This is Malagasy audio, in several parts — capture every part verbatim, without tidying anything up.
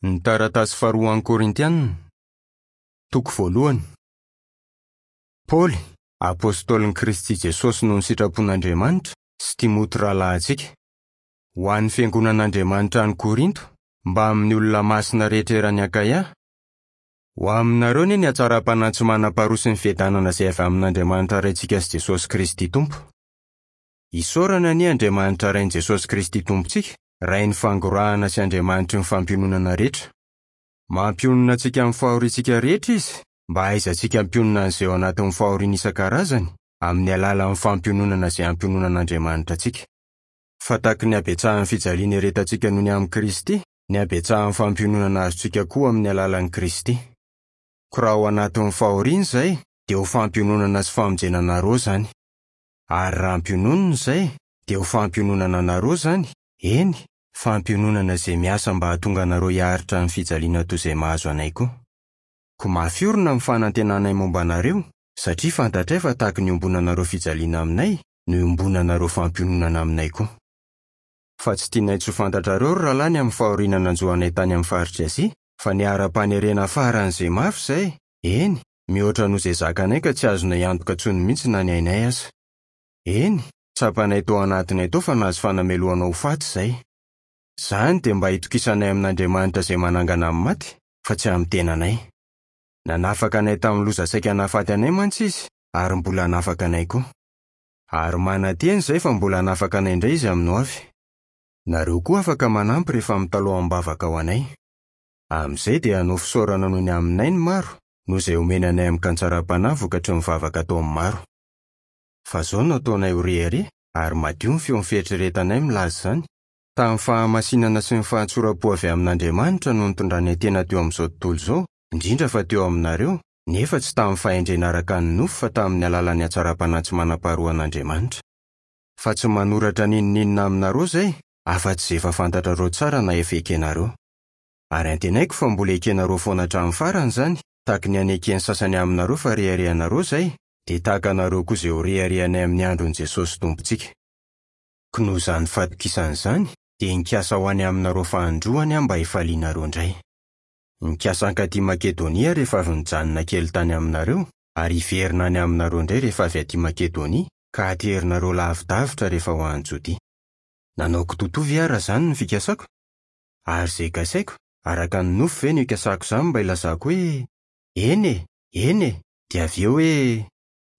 Ny taratasy faharoa an'ny Korintianina, toko voalohany. Paoly, apôstôlin'i Kristy Jesosy noho ny sitrapon'Andriamanitra, sy Timoty rahalahintsika. Ho an'ny fiangonan'Andriamanitra any Korinto, mbamin'ny olona masina rehetra eran'i Akaia. Ho aminareo anie ny hatsaram-panahy tsy manam-paharoa sy ny fiadanana izay avy amin'Andriamanitra Raintsika sy Jesosy Kristy Tompo. Isaorana anie Andriamanitra Rain'i Jesosy Kristy Tompontsika, Rain'ny fangorahana sy Andriamanitry ny fampiononana rehetra. Mampionona antsika amin'ny fahoriantsika rehetra Izy, mba hahaizantsika hampionona an'izay ao anatin'ny fahoriana isan-karazany, amin'ny alalan'ny fampiononana izay ampiononan'Andriamanitra antsika. Fa tahaky ny habetsahan'ny fijaliana iretantsika noho ny amin'i Kristy, ny habetsahan'ny fampiononana azontsika koa amin'ny alalan'i Kristy. Koa raha ao anatin'ny fahoriana izay, dia ho fampiononana sy famonjena anareo izany. Ary raha ampiononina izay, dia ho fampiononana anareo izany, eny, fampiononana izay miasa mba hahatonga anareo hiaritra ny fijaliana toy izay mahazo anay koa. Koa mafy orina ny fanantenanay momba anareo, satria fantatray fa tahaky ny iombonanareo fijaliana aminay no iombonanareo fampiononana aminay koa. Fa tsy tianay tsy ho fantatrareo ry rahalahy ny amin'ny fahoriana nanjo anay tany amin'ny faritr'i Azia, fa niharam-panerena faran'izay mafy izay, eny, mihoatra noho izay zakanay ka tsy azonay antoka intsony mihitsy na ny ainay aza. Eny, tsapanay tao anatinay tao fa nahazo fanamelohana ho faty izay. Izany dia mba hitokisanay amin'Andriamanitra izay manangana amin'ny maty, fa tsy amin'ny tenanay. Nanafaka anay tamin'ny loza saika nahafaty anay mantsy Izy, ary mbola hanafaka anay koa. Ary manantena izay fa mbola hanafaka anay indray Izy amin'ny hoavy. Nareo koa afaka manampy rehefa mitalaho am-bavaka ho anay. Amin'izay dia hanao fisaorana noho ny aminay ny maro, noho izay omena anay amin'ny kantsaram-panahy vokatry ny vavaka ataon'ny maro. Fa izao no ataonay ho rehareha, ary madio ny feon'ny fieritreretanay milaza izany. Tamin'ny fahamasinana sy ny fahatsoram-po avy amin'Andriamanitra no nitondranay tena teo amin'izao tontolo izao, indrindra fa teo aminareo, nefa tsy tamin'ny fahendrena araka ny nofo fa tamin'ny alalan'ny hatsaram-panahy tsy manam-paharoan'Andriamanitra. Fa tsy manoratra n'inon'inona aminareo izay, afa-tsy izay efa fantatrareo tsara na efa ekenareo. Ary antenaiko fa mbola ekenareo foana hatramin'ny farany izany, tahaky ny haneken'ny sasany aminareo fa reharehanareo izay, dia tahaka anareo koa izay ho reharehanay amin'ny andron'i Jesosy Tompontsika. Koa noho izany fatokisana izany, dia nikasa ho any aminareo fahandroany aho mba hifalianareo indray. Nikasa hankaty Makedonia rehefa avy nijanona kely tany aminareo, ary hiverina any aminareo indray rehefa avy aty Makedonia, ka haterinareo lavidavitra rehefa ho any Jodia. Nanao kitotovy aho raha izany no fikasako? Ary izay kasaiko, araka ny nofo ve no ikasako izany mba hilazako hoe eny e, eny e, dia avy eo hoe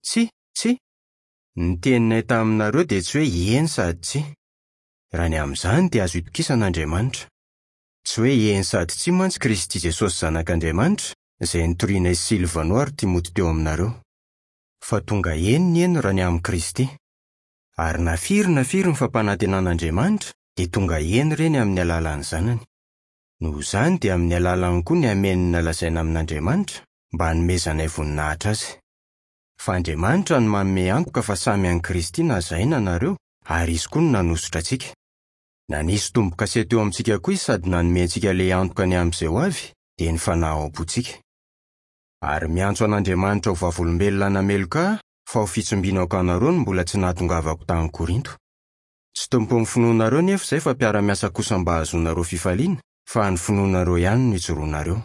tsia, tsia. Ny teninay taminareo dia tsy hoe eny sady tsia. Raha ny amin'izany dia azo itokisana Andriamanitra. Tsy hoe eny sady tsia mantsy Kristy Jesosy Zanak'Andriamanitra, izay nitorianay Silvano ary Timoty teo aminareo. Fa tonga eny ny eny raha ny amin'i Kristy. Ary na firy na firy ny fampanantenan'Andriamanitra, dia tonga eny ireny amin'ny alalan'ny Zanany. Noho izany dia amin'ny alalany koa ny amenina lazaina amin'Andriamanitra, mba hanomezanay voninahitra Azy. Fa Andriamanitra no manome antoka fa samy an'i Kristy na izahay na nareo, ary Izy koa no nanosotra antsika. Nanisy tombo-kase teo amintsika koa Izy sady nanome antsika ilay antoka ny amin'izay ho avy, dia ny fanahy ao am-pontsika. Ary miantso an'Andriamanitra ho vavolombelona nameloka ahy, fa ho fitsimbinako anareo no mbola tsy nahatongavako tany Korinto. Tsy tompon'ny finoanareo nefa izay fa mpiara-miasa kosa mba hahazoanareo fifaliana, fa ny finoanareo ihany no ijoroanareo.